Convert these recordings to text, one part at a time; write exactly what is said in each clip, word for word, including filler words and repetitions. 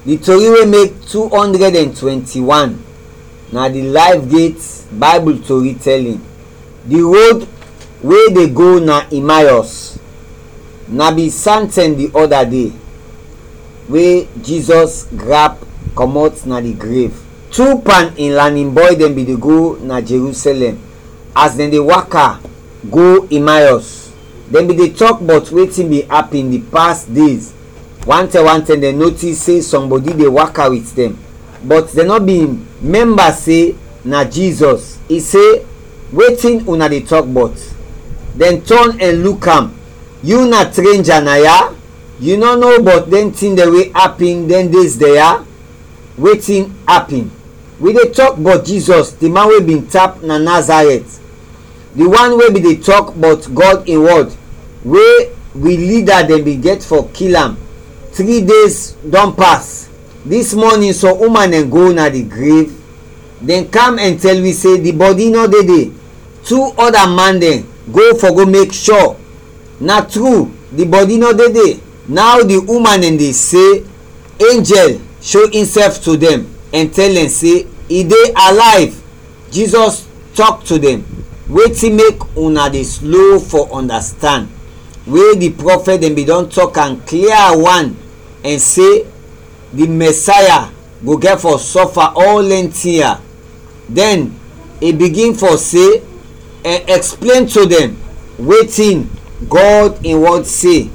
Di tori we mek two hundred and twenty-one na di Life Gate Bible tori telling. Di road we de go na Emmaus. Na bin samten di ɔda de we Jizɔs grap kɔmɔt na di grev. Tu pan in lanin bɔy dɛn bin de go na Jerusɛlɛm. As dɛn de waka go Emmaus, dɛn bin de tɔk bɔt wetin bin apin di pas dez. Wantɛm wantɛm dɛn notis se sɔmbɔdi de waka wit dɛn, bɔt dɛn nɔ bin mɛmba se na Jizɔs. I se, "Wetin una de tɔk bɔt?" Dɛn tɔn ɛn luk am. "Yu na trenja na ya? Yu nɔ no bɔt dɛn tin dɛn we apin dɛn dez dɛn ya?" Wetin apin? Wi de tɔk bɔt Jizɔs, di man we bin tap na Nazarɛt, di wan we bin de tɔk bɔt Gɔd in wɔd, we wi lida dɛn bin gɛt fɔ kil am. Tri dez dɔn pas. Dis mɔnin sɔm uman dɛn go na di grev. Dɛn kam ɛn tɛl wi se di bɔdi nɔ de de. Tu ɔda man dɛn go fɔ go mek shɔ. Na tru, di bɔdi nɔ de de. Naw di uman dɛn de se, enjɛl sho insɛf to dɛn ɛn tɛl dɛn se i de alayv. Jizɔs tɔk to dɛn, "Wetin mek una de slo fɔ ɔndastand, we di prɔfɛt dɛn bin dɔn tɔk am klia wan ɛn se, di Mɛsaya go gɛt fɔ sɔfa ɔl dɛn tin ya?" Dɛn i bigin fɔ se ɛn ɛksplen to dɛn wetin Gɔd in wɔd se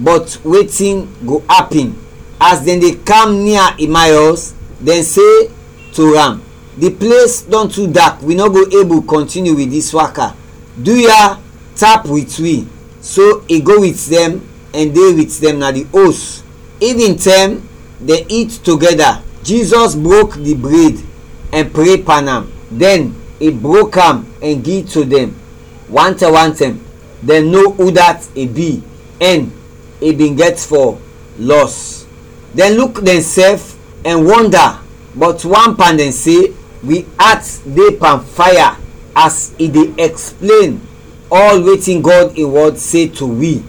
bɔt wetin go apin. As dɛn de kam nia Imayɔs, dɛn se to am, "Di ples dɔn tu dak, wi nɔ go ebul kɔntiniu wit dis waka. Duya tap wit wi." So i go wit dɛn ɛn de wit dɛn na di os. Ivintɛm, dɛn it togɛda. Jizɔs brok di bred ɛn pre pan am. Dɛn i brok am ɛn gi to dɛn. Wantɛm wantɛm, dɛn no udat i bi ɛn i bin gɛt fɔ lɔs. Dɛn luk dɛnsɛf ɛn wɔnda, bɔt wan pan dɛn se, "Wi at de pan faya as i de ɛksplen ɔl wetin Gɔd in wɔd se to wi."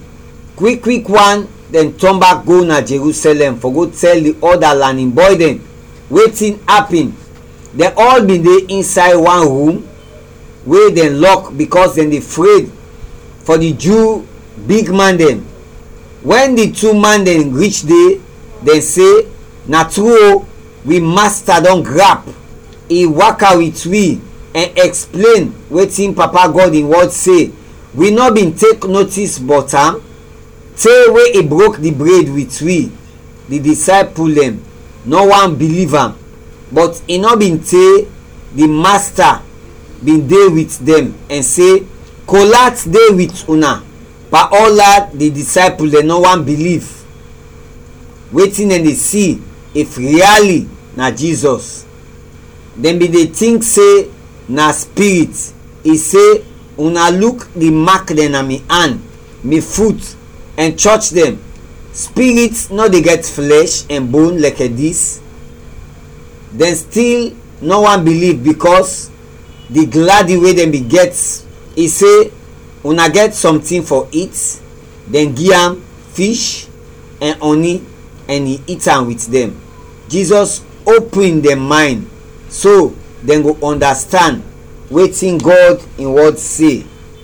Kwik kwik wan, dɛn tɔn bak go na Jerusɛlɛm fɔ go tɛl di ɔda lanin bɔy dɛn wetin apin. Dɛn ɔl bin de insay wan rum we dɛn lɔk, bikɔs dɛn de fred fɔ di Ju bigman dɛn. Wɛn di tu man dɛn rich de, dɛn se, "Na tru o, wi Masta dɔn grap. I waka wit wi ɛn ɛksplen wetin Papa Gɔd in wɔd se. Wi nɔ bin tek notis bɔt am te we i brok di bred wit wi." Di disaypul dɛn nɔ want biliv am, bɔt i nɔ bin te di Masta bin de wit dɛn ɛn se, "Kolat de wit una." Paola di disaypul dɛn nɔ want biliv wetin dɛn de si, if riali na Jizɔs. Dɛn bin de tink se na spirit. I se, "Una luk di mak dɛn na mi an, mi fut, ɛn chɔch dɛn. Spirit nɔ de gɛt flɛsh ɛn bon lɛkɛ dis." Dɛn stil nɔ want biliv, bikɔs di gladi we dɛn bin gɛt. I se, "Una gɛt sɔntin fɔ it?" Dɛn gi am fish ɛn ɔni, ɛn i it am wit dɛn. Jizɔs opin dɛn maynd so dɛn go ɔndastand wetin Gɔd in wɔd se.